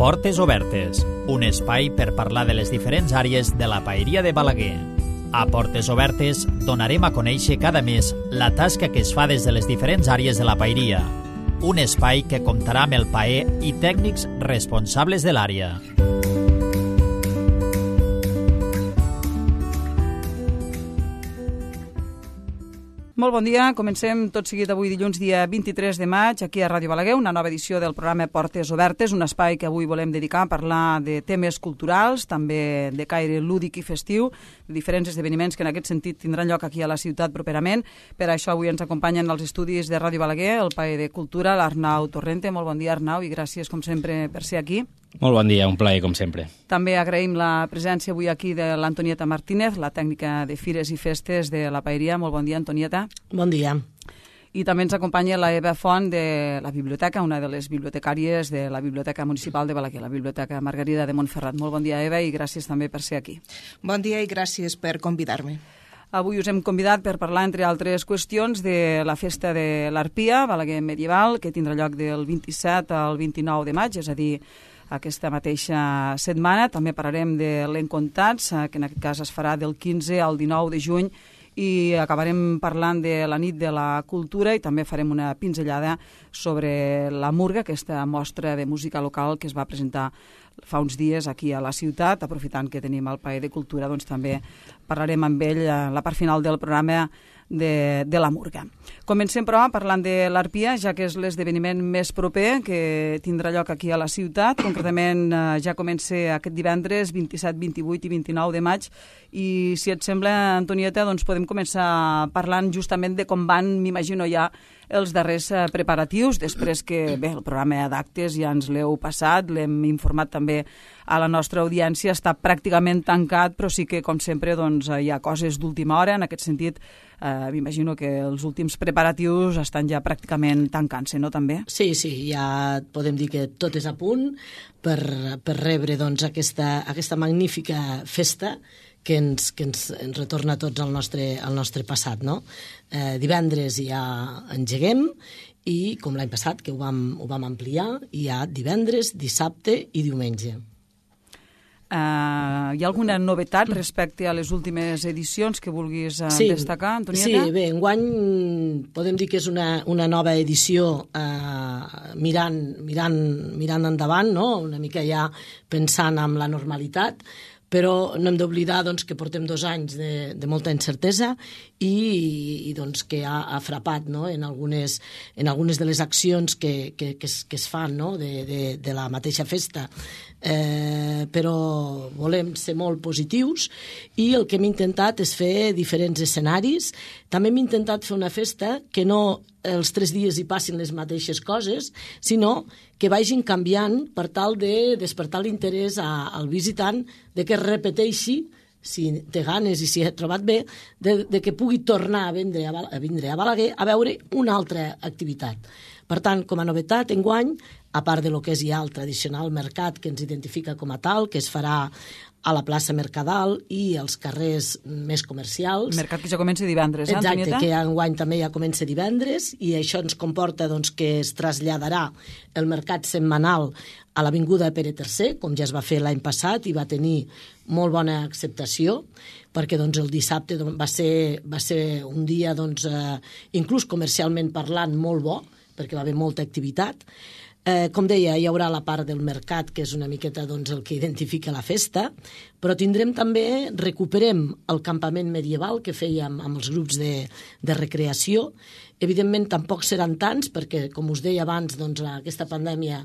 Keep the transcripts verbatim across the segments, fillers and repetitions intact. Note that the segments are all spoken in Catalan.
Portes Obertes, un espai per parlar de les diferents àrees de la paeria de Balaguer. A Portes Obertes donarem a conèixer cada mes la tasca que es fa des de les diferents àrees de la paeria. Un espai que comptarà amb el paer i tècnics responsables de l'àrea. Molt bon dia, comencem tot seguit avui dilluns dia vint-i-tres de maig aquí a Ràdio Balaguer, una nova edició del programa Portes Obertes, un espai que avui volem dedicar a parlar de temes culturals, també de caire lúdic i festiu, de diferents esdeveniments que en aquest sentit tindran lloc aquí a la ciutat properament. Per això avui ens acompanyen als estudis de Ràdio Balaguer el paer de Cultura, l'Arnau Torrente. Molt bon dia, Arnau, i gràcies com sempre per ser aquí. Molt bon dia, un plaer, com sempre. També agraïm la presència avui aquí de l'Antonieta Martínez, la tècnica de Fires i Festes de la paeria. Molt bon dia, Antonieta. Bon dia. I també ens acompanya la Eva Font de la biblioteca, una de les bibliotecàries de la Biblioteca Municipal de Balaguer, la Biblioteca Margarida de Montferrat. Molt bon dia, Eva, i gràcies també per ser aquí. Bon dia i gràcies per convidar-me. Avui us hem convidat per parlar, entre altres qüestions, de la festa de l'Arpia, Balaguer Medieval, que tindrà lloc del vint-i-set al vint-i-nou de maig, és a dir, aquesta mateixa setmana. També parlarem de l'Encontats, que en aquest cas es farà del quinze al dinou de juny, i acabarem parlant de la nit de la cultura i també farem una pinzellada sobre la Murga, aquesta mostra de música local que es va presentar fa uns dies aquí a la ciutat. Aprofitant que tenim el paer de Cultura, doncs també parlarem amb ell a la part final del programa de, de la Murga. Comencem, però, parlant de l'Arpia, ja que és l'esdeveniment més proper que tindrà lloc aquí a la ciutat. Concretament, eh, ja comença aquest divendres, vint-i-set, vint-i-vuit i vint-i-nou de maig, i si et sembla, Antonieta, doncs podem començar parlant justament de com van, m'imagino ja, els darrers eh, preparatius, després que, bé, el programa d'actes ja ens l'heu passat, l'hem informat també a la nostra audiència, està pràcticament tancat, però sí que, com sempre, doncs, hi ha coses d'última hora. En aquest sentit, eh, m'imagino que els últims preparatius estan ja pràcticament tancant-se, no, també? Sí, sí, ja podem dir que tot és a punt per, per rebre doncs, aquesta, aquesta magnífica festa que ens, que ens, ens retorna a tots al nostre, al nostre passat, no? Eh, divendres ja engeguem i, com l'any passat, que ho vam, ho vam ampliar, hi ha divendres, dissabte i diumenge. Uh, hi ha alguna novetat respecte a les últimes edicions que vulguis uh, sí, destacar, Antonieta? Sí, bé, enguany podem dir que és una, una nova edició uh, mirant, mirant, mirant endavant, no? Una mica ja pensant en la normalitat, però no hem d'oblidar doncs, que portem dos anys de, de molta incertesa i, i doncs, que ha, ha frapat, no? en, algunes, en algunes de les accions que, que, que, es, que es fan, no? de, de, de la mateixa festa. Eh, però volem ser molt positius i el que hem intentat és fer diferents escenaris. També hem intentat fer una festa que no els tres dies hi passin les mateixes coses, sinó que vagin canviant per tal de despertar l'interès a, al visitant, de que es repeteixi, si té ganes i si ha trobat bé, de, de que pugui tornar a vindre a, a vindre a Balaguer a veure una altra activitat. Per tant, com a novetat, enguany, a part de lo que és ja el tradicional mercat que ens identifica com a tal, que es farà a la plaça Mercadal i als carrers més comercials. El mercat que ja comença divendres, eh, Exacte, Antonieta? que enguany també ja comença divendres i això ens comporta doncs, que es traslladarà el mercat setmanal a l'Avinguda Pere tercer, com ja es va fer l'any passat i va tenir molt bona acceptació, perquè doncs, el dissabte va ser, va ser un dia, doncs, eh, inclús comercialment parlant, molt bo, perquè va haver molta activitat. Eh, com deia, hi haurà la part del mercat, que és una miqueta doncs, el que identifica la festa, però tindrem també, recuperem el campament medieval que fèiem amb els grups de, de recreació. Evidentment, tampoc seran tants, perquè, com us deia abans, doncs, aquesta pandèmia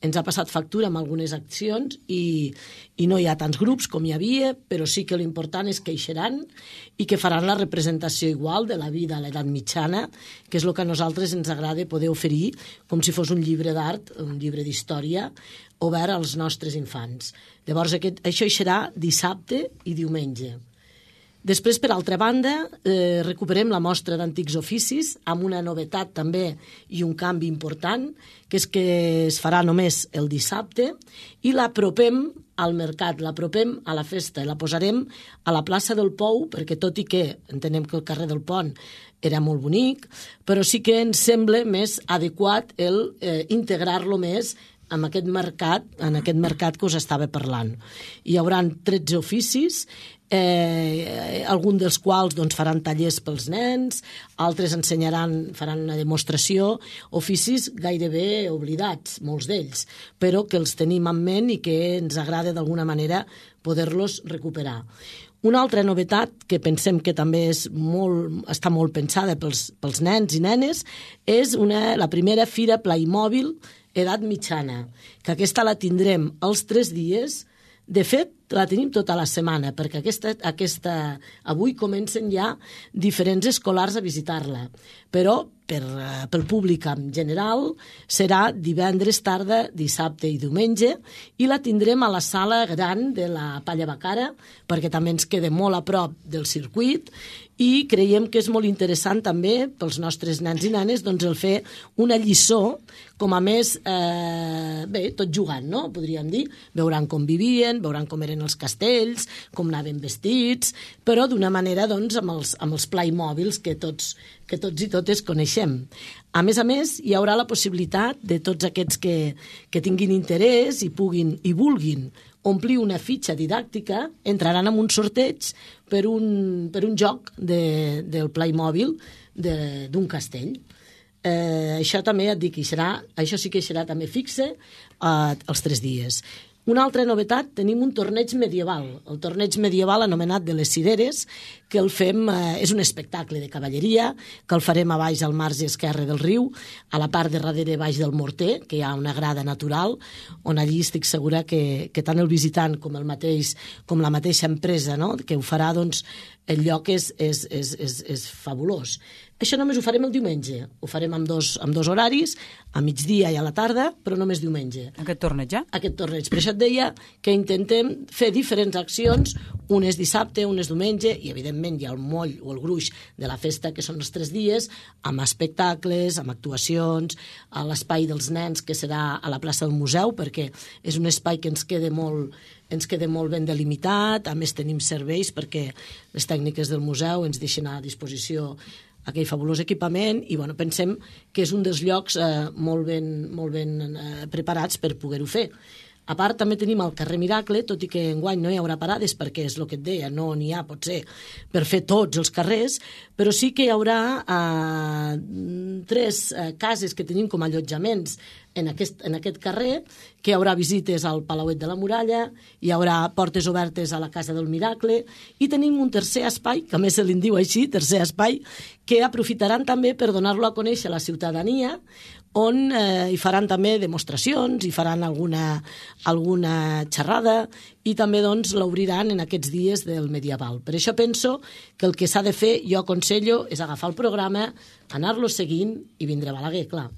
ens ha passat factura amb algunes accions i, i no hi ha tants grups com hi havia, però sí que l'important és que hi seran i que faran la representació igual de la vida a l'edat mitjana, que és el que a nosaltres ens agrada poder oferir com si fos un llibre d'art, un llibre d'història, obert als nostres infants. Llavors, aquest, això hi serà dissabte i diumenge. Després, per altra banda, eh, recuperem la mostra d'antics oficis amb una novetat també i un canvi important, que és que es farà només el dissabte i l'apropem al mercat, l'apropem a la festa i la posarem a la plaça del Pou, perquè tot i que entenem que el carrer del Pont era molt bonic, però sí que ens sembla més adequat el eh, integrar-lo més amb aquest mercat, en aquest mercat que us estava parlant. Hi haurà tretze oficis, eh, alguns dels quals doncs, faran tallers pels nens, altres ensenyaran, faran una demostració, oficis gairebé oblidats, molts d'ells, però que els tenim en ment i que ens agrada d'alguna manera poder-los recuperar. Una altra novetat que pensem que també és molt, està molt pensada pels, pels nens i nenes és una, la primera fira Playmobil edat mitjana, que aquesta la tindrem els tres dies. De fet, la tenim tota la setmana, perquè aquesta, aquesta, avui comencen ja diferents escolars a visitar-la, però per, pel públic en general serà divendres tarda, dissabte i diumenge, i la tindrem a la sala gran de la Palla Bacara, perquè també ens queda molt a prop del circuit, i creiem que és molt interessant també pels nostres nens i nenes doncs, el fer una lliçó, com a més, eh, bé, tot jugant, no? Podríem dir, veuran com vivien, veuran com eren els castells, com anaven vestits, però d'una manera doncs, amb els, amb els Playmobils que tots, que tots i totes coneixem. A més a més, hi haurà la possibilitat de tots aquests que, que tinguin interès i puguin i vulguin omplir una fitxa didàctica, entraran en un sorteig per un, per un joc de, del Playmobil d'un castell. Eh, això també et dic, serà, això sí que serà també fixe eh, els tres dies. Una altra novetat, tenim un torneig medieval, el torneig medieval anomenat de les cireres, que el fem, eh, és un espectacle de cavalleria, que el farem a baix al marge esquerre del riu, a la part de darrere baix del morter, que hi ha una grada natural, on allí estic segura que, que tant el visitant com, el mateix, com la mateixa empresa, no?, que ho farà, doncs, el lloc és, és, és, és, és fabulós. Això només ho farem el diumenge, ho farem amb dos, amb dos horaris, a migdia i a la tarda, però només diumenge. Aquest torneig, ja? Aquest torneig. Per això et deia que intentem fer diferents accions, unes dissabte, unes diumenge, i evidentment hi ha el moll o el gruix de la festa, que són els tres dies, amb espectacles, amb actuacions, a l'espai dels nens, que serà a la plaça del museu, perquè és un espai que ens queda molt, ens queda molt ben delimitat, a més tenim serveis perquè les tècniques del museu ens deixen a disposició aquell fabulós equipament i bueno, pensem que és un dels llocs eh, molt ben, molt ben eh, preparats per poder-ho fer. A part, també tenim el carrer Miracle, tot i que enguany no hi haurà parades, perquè és el que et deia, no n'hi ha, potser, per fer tots els carrers, però sí que hi haurà eh, tres eh, cases que tenim com a allotjaments en aquest, en aquest carrer, que hi haurà visites al Palauet de la Muralla, hi haurà portes obertes a la Casa del Miracle, i tenim un tercer espai, que a més se li diu així, tercer espai, que aprofitaran també per donar-lo a conèixer a la ciutadania, on eh, hi faran també demostracions, hi faran alguna, alguna xerrada i també doncs, l'obriran en aquests dies del medieval. Per això penso que el que s'ha de fer, jo aconsello, és agafar el programa, anar-lo seguint i vindre a Balaguer, clar.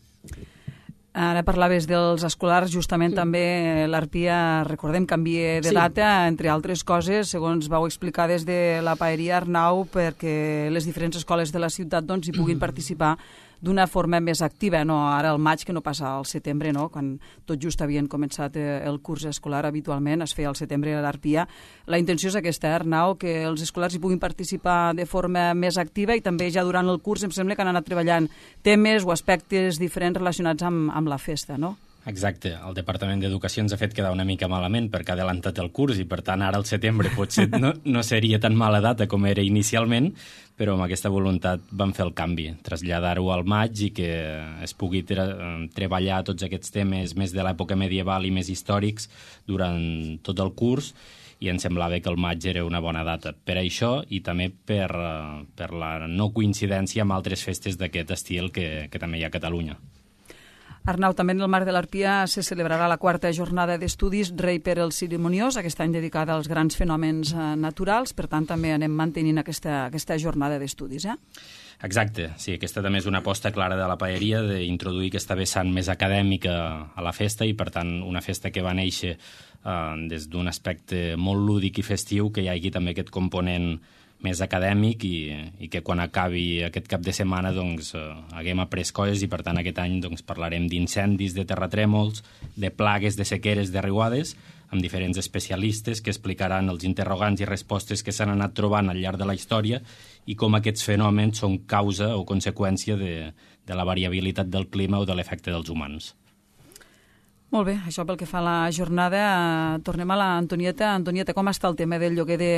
Ara parlaves dels escolars, justament mm. també l'Arpia, recordem, canvia de sí. data, entre altres coses, segons vau explicar des de la Paeria, Arnau, perquè les diferents escoles de la ciutat doncs, hi puguin mm. participar d'una forma més activa, no ara al maig, que no passa al setembre, no? Quan tot just havien començat el curs escolar habitualment, es feia al setembre a l'Arpia. La intenció és aquesta, Arnau, que els escolars hi puguin participar de forma més activa i també ja durant el curs em sembla que han anat treballant temes o aspectes diferents relacionats amb, amb la festa, no? Exacte. El Departament d'Educació ens ha fet quedar una mica malament perquè ha adelantat el curs i, per tant, ara al setembre potser no, no seria tan mala data com era inicialment, però amb aquesta voluntat vam fer el canvi, traslladar-ho al maig i que es pugui tre treballar tots aquests temes més de l'època medieval i més històrics durant tot el curs, i ens semblava que el maig era una bona data per això i també per, per la no coincidència amb altres festes d'aquest estil que, que també hi ha a Catalunya. Arnau, també en el marc de l'Arpia se celebrarà la quarta jornada d'estudis Rei per el Cerimoniós, aquest any dedicada als grans fenòmens eh, naturals, per tant també anem mantenint aquesta, aquesta jornada d'estudis, eh? Exacte, sí, aquesta també és una aposta clara de la Paeria d'introduir aquesta vessant més acadèmica a la festa i, per tant, una festa que va néixer eh, des d'un aspecte molt lúdic i festiu, que hi hagi també aquest component més acadèmic i, i que quan acabi aquest cap de setmana doncs, eh, haguem après coses i per tant aquest any doncs, parlarem d'incendis, de terratrèmols, de plagues, de sequeres, de riuades, amb diferents especialistes que explicaran els interrogants i respostes que s'han anat trobant al llarg de la història i com aquests fenòmens són causa o conseqüència de, de la variabilitat del clima o de l'efecte dels humans. Molt bé, això pel que fa a la jornada. Tornem a l'Antonieta. Antonieta, com està el tema del lloguer de,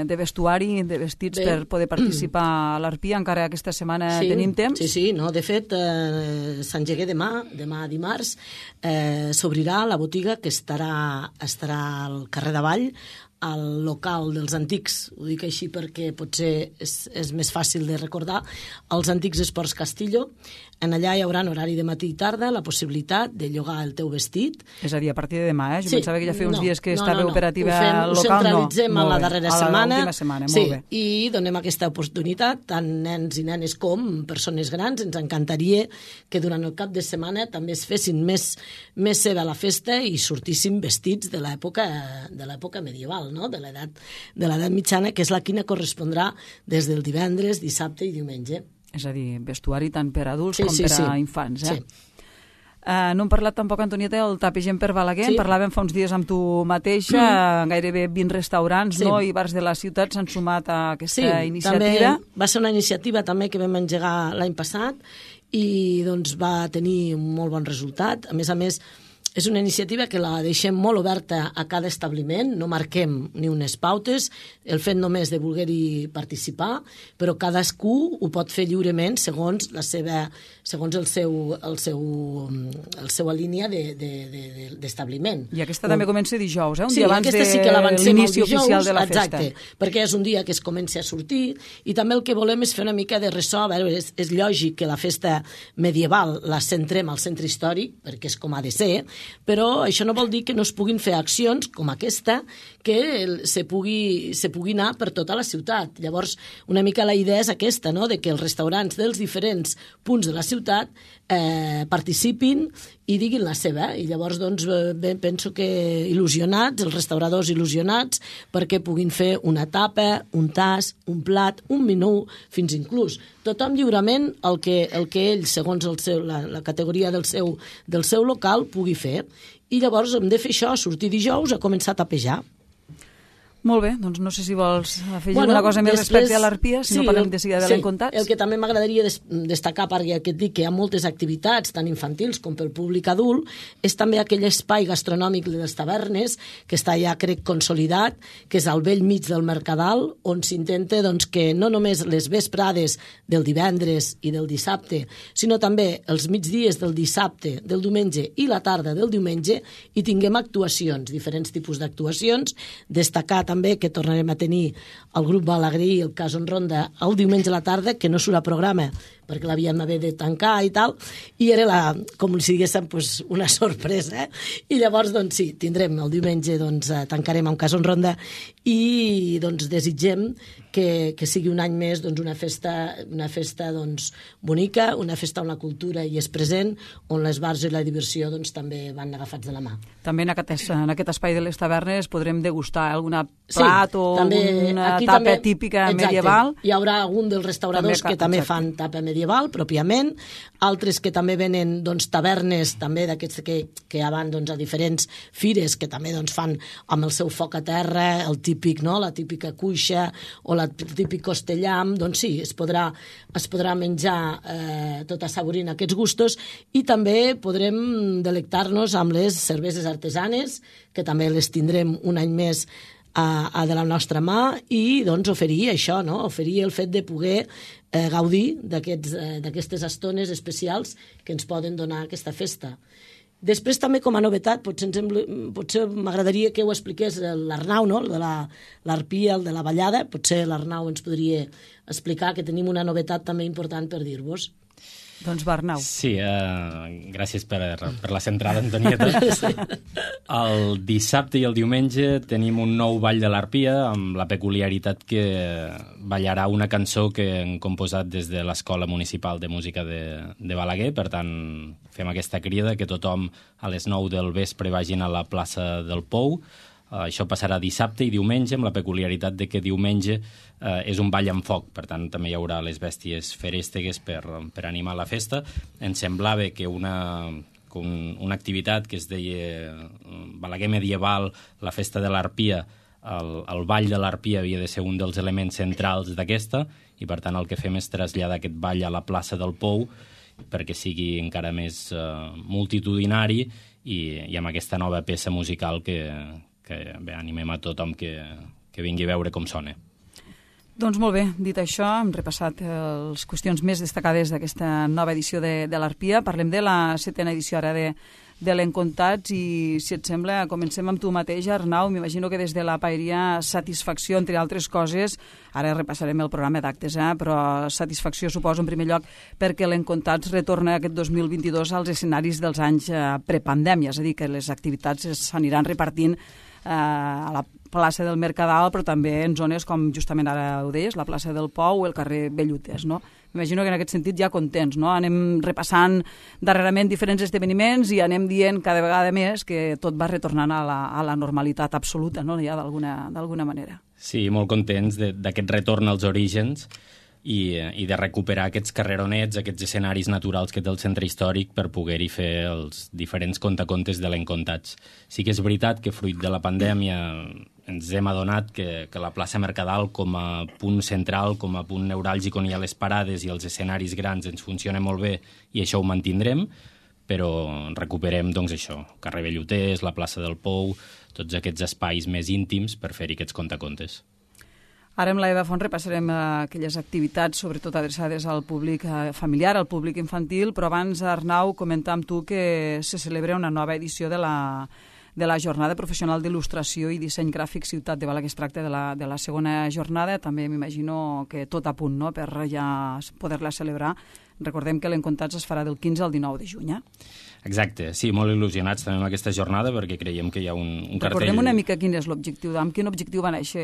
de vestuari, de vestits, bé, per poder participar a l'Arpia? Encara aquesta setmana sí, tenim temps? Sí, sí, no, de fet, eh, s'engegué demà, demà dimarts, eh, s'obrirà la botiga que estarà, estarà al carrer d'Avall, al local dels antics, ho dic així perquè potser és, és més fàcil de recordar, els antics Esports Castillo. En allà hi haurà en horari de matí i tarda la possibilitat de llogar el teu vestit. És a dir, a partir de demà, eh? Jo sí, pensava que ja feia uns no, dies que no, estava no, no. operativa ho fem, local. Ho centralitzem no. a la darrera a setmana, la setmana sí, molt bé. I donem aquesta oportunitat, tant nens i nenes com persones grans. Ens encantaria que durant el cap de setmana també es fessin més, més seva la festa i sortissin vestits de l'època de l'època medieval, no? de l'edat de l'edat mitjana, que és la quina correspondrà des del divendres, dissabte i diumenge. És a dir, vestuari tant per adults sí, com sí, per a sí. infants. Eh? Sí. Uh, no hem parlat tampoc, Antonieta, del tapegem per Balaguer. Sí. En parlàvem fa uns dies amb tu mateixa. Mm. Gairebé vint restaurants, sí. no? I bars de la ciutat s'han sumat a aquesta sí, iniciativa. També va ser una iniciativa també que vam engegar l'any passat i doncs, va tenir un molt bon resultat. A més a més, és una iniciativa que la deixem molt oberta a cada establiment, no marquem ni unes pautes, el fet només de voler-hi participar, però cadascú ho pot fer lliurement segons la seva, segons el seu, el seu, el seva línia de, de, de, d'establiment. I aquesta o... també comença dijous, eh? Un sí, dia abans de sí que l'inici oficial de la exacte, festa. Perquè és un dia que es comença a sortir i també el que volem és fer una mica de ressò. A veure, és, és lògic que la festa medieval la centrem al centre històric, perquè és com ha de ser, però això no vol dir que no es puguin fer accions com aquesta que se pugui, se pugui anar per tota la ciutat. Llavors, una mica la idea és aquesta, no?, de que els restaurants dels diferents punts de la ciutat eh, participin i diguin la seva. I llavors, doncs, bé, penso que il·lusionats, els restauradors il·lusionats, perquè puguin fer una tapa, un tas, un plat, un menú, fins inclús. Tothom lliurement el que, el que ell, segons el seu, la, la categoria del seu, del seu local, pugui fer. I llavors hem de fer això, sortir dijous a començar a tapejar. Molt bé, doncs no sé si vols afegir bueno, alguna cosa més després, respecte a l'Arpia, si sí, no parlem de seguida de sí, l'encontats. El que també m'agradaria des, destacar, perquè que et dic que hi ha moltes activitats, tant infantils com pel públic adult, és també aquell espai gastronòmic de les tavernes, que està ja, crec, consolidat, que és al vell mig del Mercadal, on s'intenta doncs, que no només les vesprades del divendres i del dissabte, sinó també els migdies del dissabte, del diumenge i la tarda del diumenge, hi tinguem actuacions, diferents tipus d'actuacions, destacar també que tornarem a tenir el grup Balaguer i el Cason Ronda el diumenge a la tarda, que no surt a programa perquè l'havíem d'haver de tancar i tal, i era la, com si diguéssim pues, una sorpresa, eh? I llavors doncs sí, tindrem el diumenge, doncs tancarem amb Cason Ronda i doncs desitgem que, que sigui un any més doncs, una festa, una festa doncs, bonica, una festa on la cultura hi és present, on les bars i la diversió doncs, també van agafats de la mà. També en aquest, en aquest espai de les tavernes podrem degustar alguna plat sí, o també, una tapa també, típica exacte, medieval. Hi haurà algun dels restauradors també, que també exacte. fan tapa medieval, pròpiament, altres que també venen doncs, tavernes també d'aquests que, que ja van doncs, a diferents fires, que també doncs, fan amb el seu foc a terra, el típic, no? La típica cuixa o la, el típic costellam, doncs sí, es podrà, es podrà menjar eh, tot assaborint aquests gustos i també podrem delectar-nos amb les cerveses artesanes, que també les tindrem un any més a, a de la nostra mà i doncs oferir això, no? Oferir el fet de poder eh, gaudir d'aquestes eh, estones especials que ens poden donar aquesta festa. Després també com a novetat, potser, potser m'agradaria que ho expliqués l'Arnau, no? El de l'Arpia, el de la ballada, potser l'Arnau ens podria explicar que tenim una novetat també important per dir-vos. Doncs Arnau. Sí, eh, gràcies per, per la centrada, Antonieta. Sí. El dissabte i el diumenge tenim un nou ball de l'Arpia amb la peculiaritat que ballarà una cançó que hem composat des de l'Escola Municipal de Música de, de Balaguer. Per tant, fem aquesta crida que tothom a les nou del vespre vagin a la plaça del Pou. Uh, això passarà dissabte i diumenge, amb la peculiaritat de que diumenge uh, és un ball amb foc, per tant també hi haurà les bèsties feréstegues per, per animar la festa. Ens semblava que una, un, una activitat que es deia Balaguer medieval, la festa de l'Arpia, el, el ball de l'Arpia havia de ser un dels elements centrals d'aquesta, i per tant el que fem és traslladar aquest ball a la plaça del Pou perquè sigui encara més uh, multitudinari i, i amb aquesta nova peça musical que, que bé, animem a tothom que, que vingui a veure com sona. Doncs molt bé, dit això, hem repassat les qüestions més destacades d'aquesta nova edició de, de l'Arpia. Parlem de la setena edició ara de, de l'Encontats i, si et sembla, comencem amb tu mateix, Arnau. M'imagino que des de la paeria satisfacció, entre altres coses, ara repassarem el programa d'actes, eh? però satisfacció suposo en primer lloc perquè l'Encontats retorna aquest dos mil vint-i-dos als escenaris dels anys eh, prepandèmia, és a dir, que les activitats s'aniran repartint eh, a la plaça del Mercadal, però també en zones com justament ara ho deies, la plaça del Pou o el carrer Bellutes, no? M'imagino que en aquest sentit ja contents, no? Anem repassant darrerament diferents esdeveniments i anem dient cada vegada més que tot va retornant a la, a la normalitat absoluta, no? Ja d'alguna d'alguna manera. Sí, molt contents d'aquest retorn als orígens i, i de recuperar aquests carreronets, aquests escenaris naturals que té el centre històric per poder-hi fer els diferents contacontes de l'Encontats. Sí que és veritat que fruit de la pandèmia ens hem adonat que, que la plaça Mercadal com a punt central, com a punt neuràlgic on hi ha les parades i els escenaris grans ens funciona molt bé i això ho mantindrem, però recuperem doncs això, carrer Belluters, la plaça del Pou, tots aquests espais més íntims per fer-hi aquests contacontes. Ara amb la Eva Font repassarem aquelles activitats, sobretot adreçades al públic familiar, al públic infantil, però abans, Arnau, comentar amb tu que se celebra una nova edició de la, de la Jornada Professional d'Il·lustració i Disseny Gràfic Ciutat de Balaguer. Es tracta de la, de la segona jornada, també m'imagino que tot a punt, no?, per ja poder-la celebrar. Recordem que l'Encontats es farà del quinze al dinou de juny, eh? Exacte, sí, molt il·lusionats també amb aquesta jornada perquè creiem que hi ha un, un cartell... Recordem una mica quin és l'objectiu, amb quin objectiu va néixer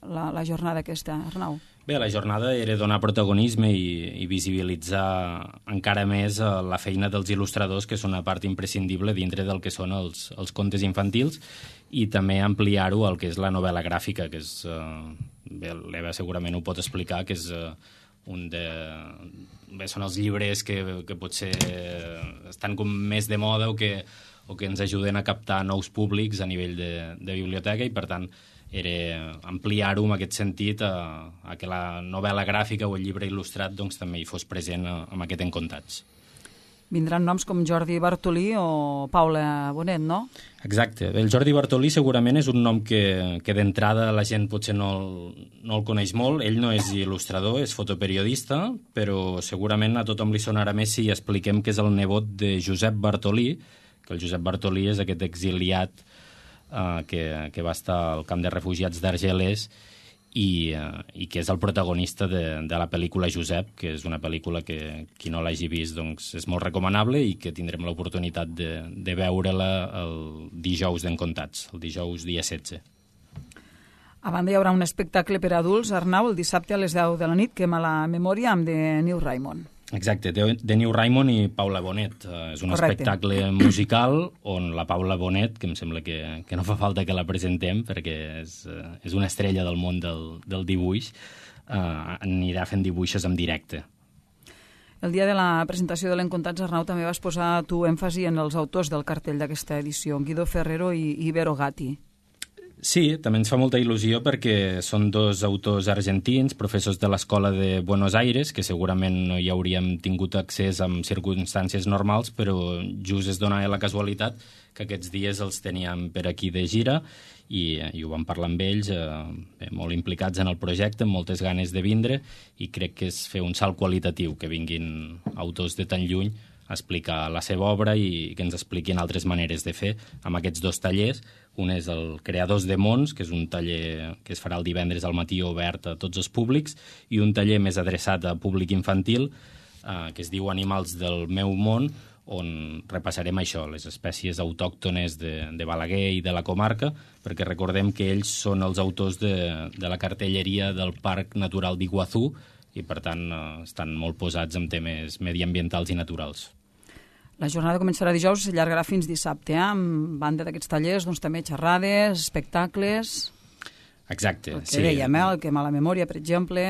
la, la jornada aquesta, Arnau? Bé, la jornada era donar protagonisme i, i visibilitzar encara més la feina dels il·lustradors, que és una part imprescindible dintre del que són els, els contes infantils, i també ampliar-ho al que és la novel·la gràfica, que és... Eh, bé, l'Eva segurament ho pot explicar, que és... Eh, un de... Bé, són els llibres que, que potser estan com més de moda o que, o que ens ajuden a captar nous públics a nivell de, de biblioteca i, per tant, era ampliar-ho en aquest sentit a, a que la novel·la gràfica o el llibre il·lustrat doncs, també hi fos present en aquest Encontats. Vindran noms com Jordi Bartolí o Paula Bonet, no? Exacte. El Jordi Bartolí segurament és un nom que, que d'entrada la gent potser no el, no el coneix molt. Ell no és il·lustrador, és fotoperiodista, però segurament a tothom li sonarà més si expliquem que és el nebot de Josep Bartolí, que el Josep Bartolí és aquest exiliat eh, que, que va estar al camp de refugiats d'Argelès i, uh, i que és el protagonista de, de la pel·lícula Josep, que és una pel·lícula que qui no l'hagi vist doncs, és molt recomanable i que tindrem l'oportunitat de, de veure-la el dijous d'Encontats, el dijous dia setze. A banda hi haurà un espectacle per a adults, Arnau, el dissabte a les deu de la nit, que a la memòria amb de New Raymond. Exacte, de, de New Raymond i Paula Bonet. Uh, és un Correcte. espectacle musical on la Paula Bonet, que em sembla que, que no fa falta que la presentem perquè és, uh, és una estrella del món del, del dibuix, uh, anirà fent dibuixos en directe. El dia de la presentació de l'Encontats, Arnau, també vas posar tu èmfasi en els autors del cartell d'aquesta edició, Guido Ferrero i, i Vero Gatti. Sí, també ens fa molta il·lusió perquè són dos autors argentins, professors de l'Escola de Buenos Aires, que segurament no hi hauríem tingut accés en circumstàncies normals, però just es dona la casualitat que aquests dies els teníem per aquí de gira i, i ho vam parlar amb ells, eh, molt implicats en el projecte, amb moltes ganes de vindre, i crec que és fer un salt qualitatiu, que vinguin autors de tan lluny a explicar la seva obra i que ens expliquin altres maneres de fer amb aquests dos tallers. Un és el Creadors de Mons, que és un taller que es farà el divendres al matí obert a tots els públics, i un taller més adreçat a públic infantil, eh, que es diu Animals del meu món, on repassarem això, les espècies autòctones de, de Balaguer i de la comarca, perquè recordem que ells són els autors de, de la cartelleria del Parc Natural d'Iguazú i, per tant, eh, estan molt posats en temes mediambientals i naturals. La jornada començarà dijous i s'allargarà fins dissabte, eh? Amb banda d'aquests tallers, doncs també xerrades, espectacles... Exacte, el que sí. dèiem, eh? El que a la memòria, per exemple...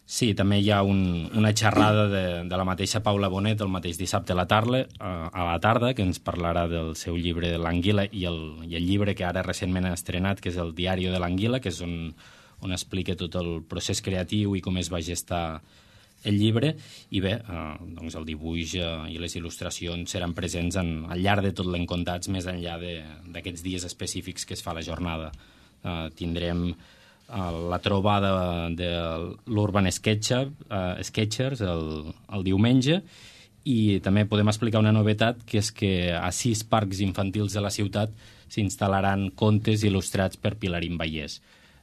Sí, també hi ha un, una xerrada de, de la mateixa Paula Bonet el mateix dissabte a la tarda, a la tarda, que ens parlarà del seu llibre L'Anguila i el, i el llibre que ara recentment ha estrenat, que és el Diario de l'Anguila, que és on, on explica tot el procés creatiu i com es va gestar el llibre, i bé, eh, doncs el dibuix eh, i les il·lustracions seran presents en, al llarg de tot l'Encontats, més enllà d'aquests dies específics que es fa la jornada. Eh, tindrem eh, la trobada de l'Urban Sketcher, eh, Sketchers el, el diumenge, i també podem explicar una novetat, que és que a sis parcs infantils de la ciutat s'instal·laran contes il·lustrats per Pilarín Vallès.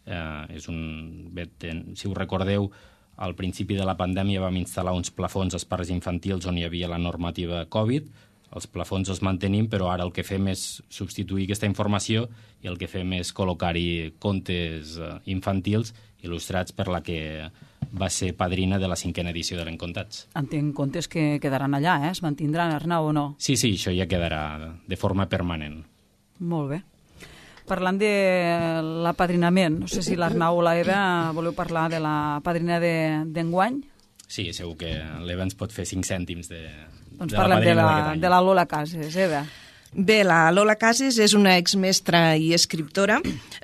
Eh, és un, bé, ten, si us recordeu, al principi de la pandèmia vam instal·lar uns plafons als parcs infantils on hi havia la normativa Covid. Els plafons els mantenim, però ara el que fem és substituir aquesta informació i el que fem és col·locar-hi contes infantils il·lustrats per la que va ser padrina de la cinquena edició de l'Encontats. Entenc contes que quedaran allà, eh? Es mantindran, Arnau, o no? Sí, sí, això ja quedarà de forma permanent. Molt bé. Parlant de l'apadrinament, no sé si l'Arnau o l'Eva voleu parlar de la padrina d'enguany? Sí, segur que l'Eva ens pot fer cinc cèntims de, doncs de la parlem de padrina la, d'aquest any. de la Lola Cases, Eva. Bé, la Lola Cases és una exmestra i escriptora.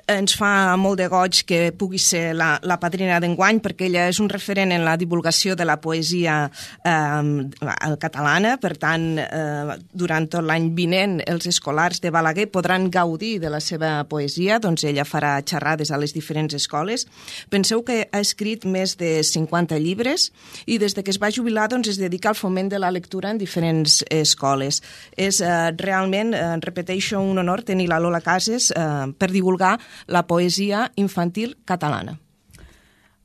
Ens fa molt de goig que pugui ser la, la padrina d'enguany, perquè ella és un referent en la divulgació de la poesia eh, catalana. Per tant, eh, durant tot l'any vinent, els escolars de Balaguer podran gaudir de la seva poesia. Doncs ella farà xerrades a les diferents escoles. Penseu que ha escrit més de cinquanta llibres i des de que es va jubilar doncs, es dedica al foment de la lectura en diferents escoles. És eh, realment Eh, repeteixo, un honor tenir la Lola Cases eh, per divulgar la poesia infantil catalana.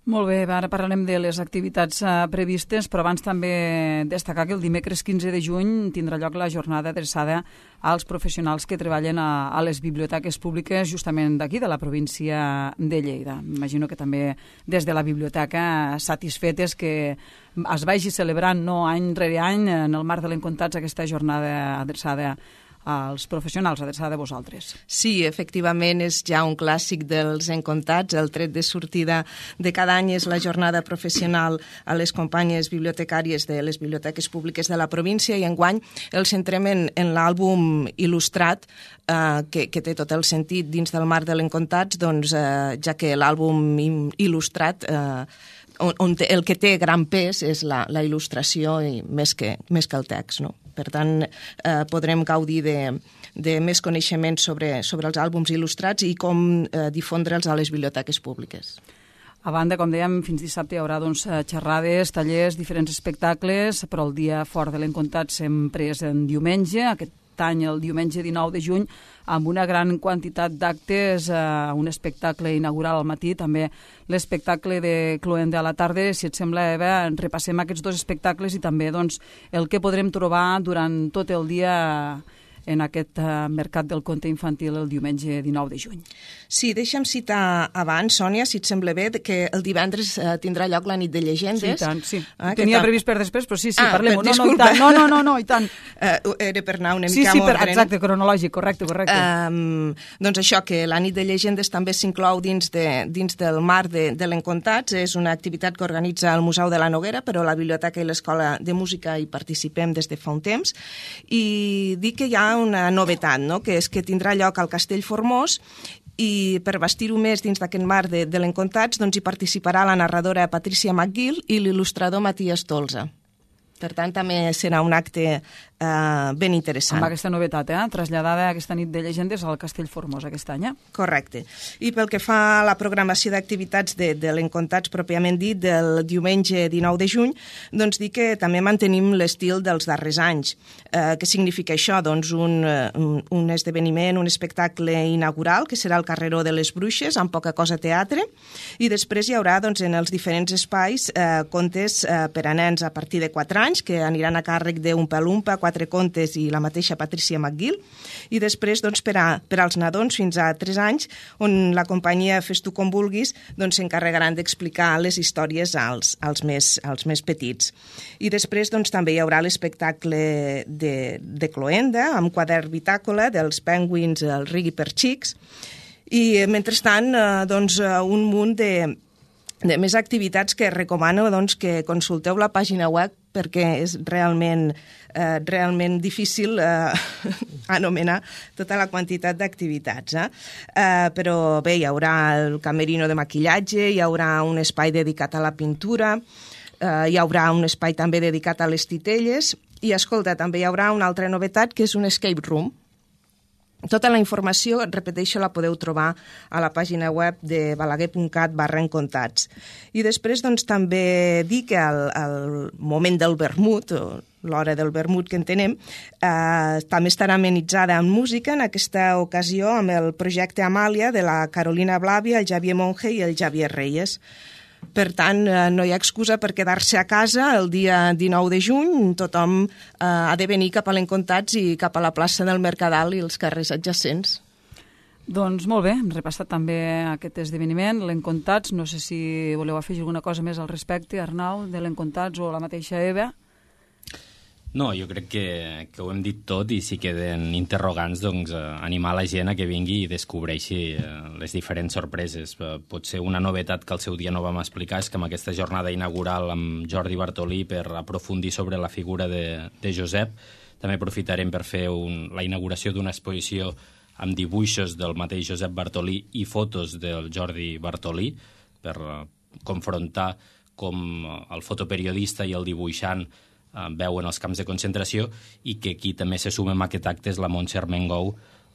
Molt bé, ara parlarem de les activitats eh, previstes, però abans també destacar que el dimecres quinze de juny tindrà lloc la jornada adreçada als professionals que treballen a, a les biblioteques públiques justament d'aquí, de la província de Lleida. M'imagino que també des de la biblioteca satisfetes que es vagi celebrant no any rere any en el marc de l'Encontats aquesta jornada adreçada als professionals, adreçada a vosaltres. Sí, efectivament, és ja un clàssic dels Encontats. El tret de sortida de cada any és la jornada professional a les companyes bibliotecàries de les biblioteques públiques de la província, i enguany el centrem en, en l'àlbum il·lustrat, eh, que, que té tot el sentit dins del marc de l'Encontats, doncs, eh, ja que l'àlbum il·lustrat eh, on, on té, el que té gran pes és la, la il·lustració i més que, més que el text, no? Per tant, eh, podrem gaudir de, de més coneixements sobre, sobre els àlbums il·lustrats i com eh, difondre'ls a les biblioteques públiques. A banda, com dèiem, fins dissabte hi haurà doncs, xerrades, tallers, diferents espectacles, però el dia fort de l'Encontat sempre és en diumenge, aquest any el diumenge dinou de juny, amb una gran quantitat d'actes, eh, un espectacle inaugural al matí, també l'espectacle de Cloenda a la tarda. Si et sembla, Eva, repassem aquests dos espectacles i també doncs, el que podrem trobar durant tot el dia en aquest uh, mercat del conte infantil el diumenge dinou de juny. Sí, deixa'm citar abans, Sònia, si et sembla bé, que el divendres uh, tindrà lloc la nit de llegendes. Sí, i tant, sí. Ah, Tenia tal? previst per després, però sí, sí, ah, parlem-ho. No, no, i disculpa. tant. No, no, no, no, i tant. Uh, era per anar una sí, mica sí, amb per, ordre. exacte, cronològic, correcte, correcte. Um, doncs això, que la nit de llegendes també s'inclou dins, de, dins del marc de, de l'Encontats. És una activitat que organitza el Museu de la Noguera, però la Biblioteca i l'Escola de Música hi participem des de fa un temps. I dic que hi ha una novetat, no? Que és que tindrà lloc al Castell Formós, i per bastir-ho més dins d'aquest marc de, de l'Encontats doncs hi participarà la narradora Patricia McGill i l'il·lustrador Matías Tolza. Per tant, també serà un acte eh, ben interessant. Amb aquesta novetat, eh? Traslladada aquesta nit de llegendes al Castell Formós aquest any. Eh? Correcte. I pel que fa a la programació d'activitats de, de l'Encontats pròpiament dit, del diumenge dinou de juny, doncs dir que també mantenim l'estil dels darrers anys. Eh, què significa això? Doncs un, un, un esdeveniment, un espectacle inaugural, que serà el Carreró de les Bruixes, amb poca cosa teatre, i després hi haurà doncs, en els diferents espais eh, contes eh, per a nens a partir de quatre anys, que aniran a càrrec d'un Palumpa, quatre contes i la mateixa Patricia McGill, i després doncs, per, a, per als nadons fins a tres anys, on la companyia Fes tu com vulguis doncs, s'encarregaran d'explicar les històries als, als, més, als més petits. I després doncs, també hi haurà l'espectacle de, de Cloenda, amb quadern bitàcola dels Penguins, el Rigui per xics, i mentrestant eh, doncs, un munt de de més activitats que recomano doncs, que consulteu la pàgina web, perquè és realment, eh, realment difícil eh, anomenar tota la quantitat d'activitats. Eh? Eh, però bé, hi haurà el camerino de maquillatge, hi haurà un espai dedicat a la pintura, eh, hi haurà un espai també dedicat a les titelles i, escolta, també hi haurà una altra novetat que és un escape room. Tota la informació, repeteixo, la podeu trobar a la pàgina web de balaguer.cat barra encontats. I després doncs, també dir que al, al moment del vermut, o l'hora del vermut que entenem, eh, també estarà amenitzada amb música, en aquesta ocasió amb el projecte Amàlia de la Carolina Blavia, el Javier Monge i el Javier Reyes. Per tant, no hi ha excusa per quedar-se a casa el dia dinou de juny. Tothom eh, ha de venir cap a l'Encontats i cap a la plaça del Mercadal i els carrers adjacents. Doncs molt bé, hem repassat també aquest esdeveniment, l'Encontats. No sé si voleu afegir alguna cosa més al respecte, Arnau, de l'Encontats o la mateixa Eva. No, jo crec que, que ho hem dit tot i si queden interrogants, doncs, eh, animar la gent a que vingui i descobreixi eh, les diferents sorpreses. Eh, potser una novetat que al seu dia no vam explicar és que amb aquesta jornada inaugural amb Jordi Bartolí per aprofundir sobre la figura de, de Josep, també aprofitarem per fer un, la inauguració d'una exposició amb dibuixos del mateix Josep Bartolí i fotos del Jordi Bartolí per eh, confrontar com el fotoperiodista i el dibuixant veuen els camps de concentració i que aquí també se suma amb aquest acte és la Montse Armengou,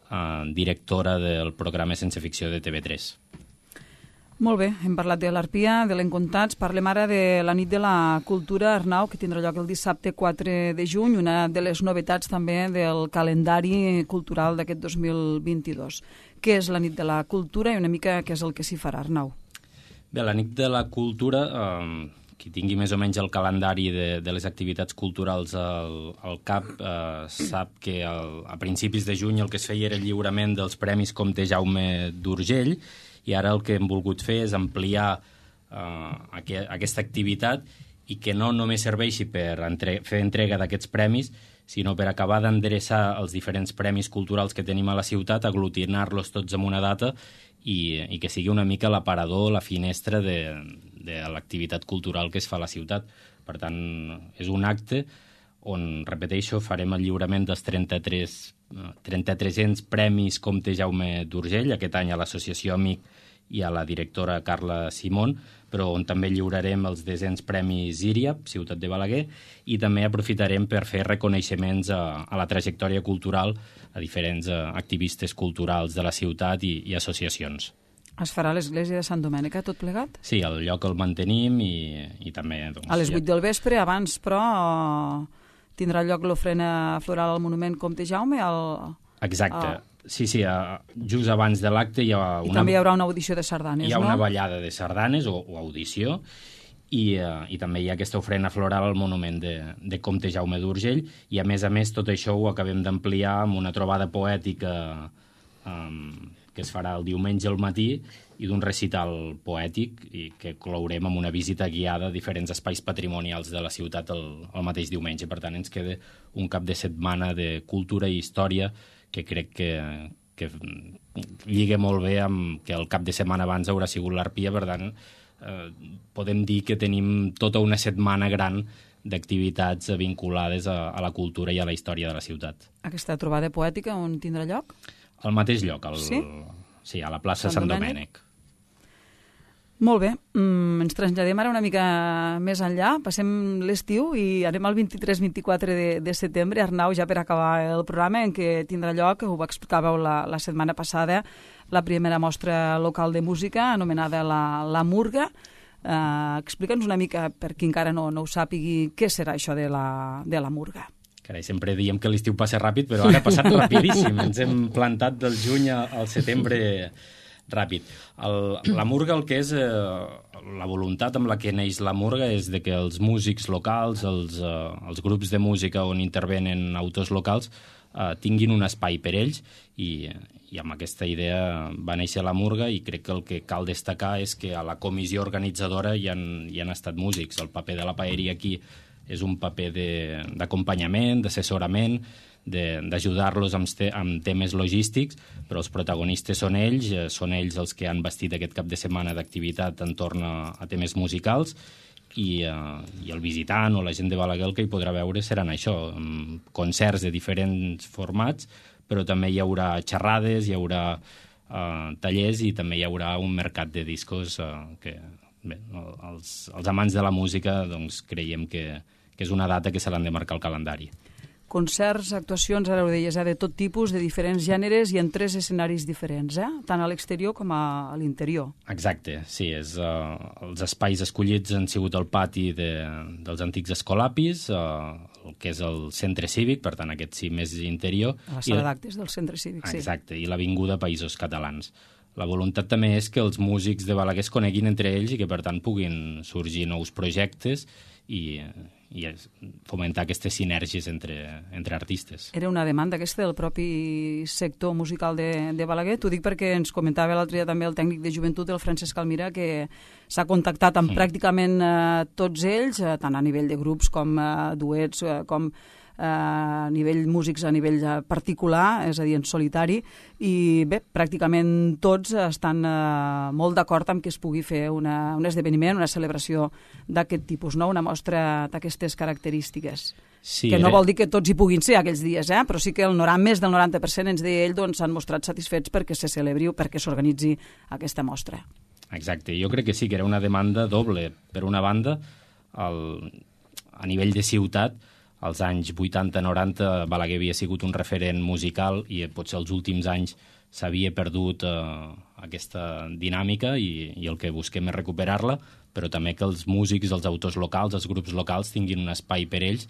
eh, directora del programa Sense Ficció de T V tres. Molt bé, hem parlat de l'Arpia, de l'Encontats, parlem ara de la nit de la cultura, Arnau, que tindrà lloc el dissabte quatre de juny, una de les novetats també del calendari cultural d'aquest dos mil vint-i-dos. Què és la nit de la cultura i una mica què és el que s'hi farà, Arnau? Bé, la nit de la cultura... Eh, qui tingui més o menys el calendari de, de les activitats culturals al, al cap eh, sap que el, a principis de juny el que es feia era el lliurament dels Premis Comte Jaume d'Urgell i ara el que hem volgut fer és ampliar eh, aqu aquesta activitat i que no només serveixi per entre fer entrega d'aquests premis, sinó per acabar d'endreçar els diferents premis culturals que tenim a la ciutat, aglutinar-los tots en una data i, i que sigui una mica l'aparador, la finestra de, de l'activitat cultural que es fa a la ciutat. Per tant, és un acte on, repeteixo, farem el lliurament dels trenta-tres, trenta-tres-cents premis Comte Jaume d'Urgell, aquest any a l'Associació Amic i a la directora Carla Simón, però on també lliurarem els desens premis Íria, Ciutat de Balaguer, i també aprofitarem per fer reconeixements a, a la trajectòria cultural a diferents a, activistes culturals de la ciutat i, i associacions. Es farà a l'església de Sant Domènec, tot plegat? Sí, el lloc el mantenim i, i també... Doncs, a les vuit ja... del vespre, abans, però, tindrà lloc l'ofrena floral al monument Comte Jaume? El... Exacte. El... Sí, sí, just abans de l'acte hi ha una... I també hi haurà una audició de sardanes, no? Hi ha una ballada de sardanes o, o audició i, uh, i també hi ha aquesta ofrena floral al monument de, de Comte Jaume d'Urgell i a més a més tot això ho acabem d'ampliar amb una trobada poètica um, que es farà el diumenge al matí i d'un recital poètic i que clourem amb una visita guiada a diferents espais patrimonials de la ciutat el, el mateix diumenge. Per tant, ens queda un cap de setmana de cultura i història que crec que, que lliga molt bé amb que el cap de setmana abans haurà sigut l'Arpia, per tant, eh, podem dir que tenim tota una setmana gran d'activitats vinculades a, a la cultura i a la història de la ciutat. Aquesta trobada poètica on tindrà lloc? Al mateix lloc, al, sí? Sí, a la plaça Sant, Sant Domènec. Domènec. Molt bé, mm, ens traslladem ara una mica més enllà, passem l'estiu i anem al vint-i-tres vint-i-quatre de, de setembre, Arnau, ja per acabar el programa, en què tindrà lloc, ho explicàveu la, la setmana passada, la primera mostra local de música, anomenada la, la Murga. Eh, Explica'ns una mica, per qui encara no, no ho sàpigui, què serà això de la, de la Murga. Carai, sempre diem que l'estiu passa ràpid, però ara ha passat rapidíssim. Ens hem plantat del juny al setembre ràpid. El, la Murga, el que és eh, la voluntat amb la que neix la Murga és de que els músics locals, els, eh, els grups de música on intervenen autors locals, eh, tinguin un espai per ells i, i amb aquesta idea va néixer la Murga i crec que el que cal destacar és que a la comissió organitzadora hi han, hi han estat músics. El paper de la paeria aquí és un paper d'acompanyament, d'assessorament, d'ajudar-los amb, te amb temes logístics, però els protagonistes són ells, eh, són ells els que han vestit aquest cap de setmana d'activitat entorn a, a temes musicals i, eh, i el visitant o la gent de Balaguer el que hi podrà veure seran això, concerts de diferents formats, però també hi haurà xerrades, hi haurà eh, tallers i també hi haurà un mercat de discos eh, que bé, els, els amants de la música doncs, creiem que, que és una data que se l'han de marcar al calendari. Concerts, actuacions, ara ho deies, eh, de tot tipus, de diferents gèneres i en tres escenaris diferents, eh? Tant a l'exterior com a, a l'interior. Exacte, sí. És, uh, els espais escollits han sigut el pati de, dels antics escolapis, uh, el que és el centre cívic, per tant aquest sí més interior. A la sala d'actes del centre cívic, sí. Exacte, i l'Avinguda Països Catalans. La voluntat també és que els músics de Balaguer es coneguin entre ells i que per tant puguin sorgir nous projectes i, i fomentar aquestes sinergies entre, entre artistes. Era una demanda aquesta del propi sector musical de, de Balaguer. T'ho dic perquè ens comentava l'altre dia també el tècnic de joventut, el Francesc Almira, que s'ha contactat amb mm. pràcticament eh, tots ells, eh, tant a nivell de grups com eh, duets, eh, com a nivell músics, a nivell particular, és a dir, en solitari, i bé, pràcticament tots estan eh, molt d'acord amb que es pugui fer una, un esdeveniment, una celebració d'aquest tipus, no? Una mostra d'aquestes característiques. Sí, que no era... vol dir que tots hi puguin ser aquells dies, eh? Però sí que el noranta, més del noranta per cent ens deia ell doncs, s'han mostrat satisfets perquè se celebri o perquè s'organitzi aquesta mostra. Exacte, jo crec que sí, que era una demanda doble. Per una banda, el... a nivell de ciutat, als anys vuitanta noranta Balaguer havia sigut un referent musical i potser els últims anys s'havia perdut eh, aquesta dinàmica i, i el que busquem és recuperar-la, però també que els músics, els autors locals, els grups locals tinguin un espai per ells,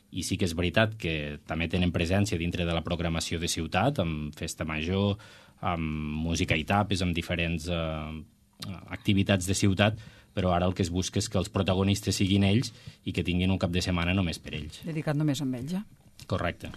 i sí que és veritat que també tenen presència dintre de la programació de ciutat, amb festa major, amb música i tapes, amb diferents eh, activitats de ciutat, però ara el que es busca és que els protagonistes siguin ells i que tinguin un cap de setmana només per ells. Dedicat només a ells, ja. Correcte.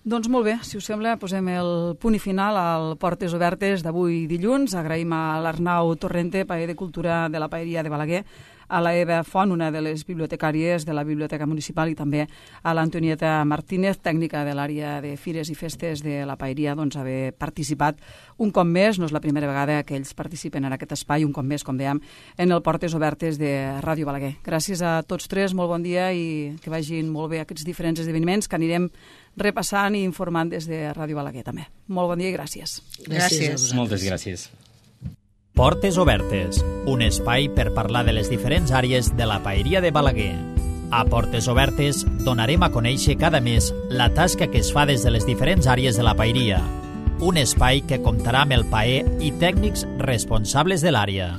Doncs molt bé, si us sembla, posem el punt i final al Portes Obertes d'avui dilluns. Agraïm a l'Arnau Torrente, paller de Cultura de la Paeria de Balaguer, a la Eva Font, una de les bibliotecàries de la Biblioteca Municipal, i també a l'Antonieta Martínez, tècnica de l'àrea de Fires i Festes de la Paeria, doncs haver participat un cop més, no és la primera vegada que ells participen en aquest espai, un cop més, com dèiem, en el Portes Obertes de Ràdio Balaguer. Gràcies a tots tres, molt bon dia i que vagin molt bé aquests diferents esdeveniments que anirem repassant i informant des de Ràdio Balaguer també. Molt bon dia i gràcies. Gràcies. Moltes gràcies. Portes Obertes, un espai per parlar de les diferents àrees de la Paeria de Balaguer. A Portes Obertes donarem a conèixer cada mes la tasca que es fa des de les diferents àrees de la Paeria. Un espai que comptarà amb el paer i tècnics responsables de l'àrea.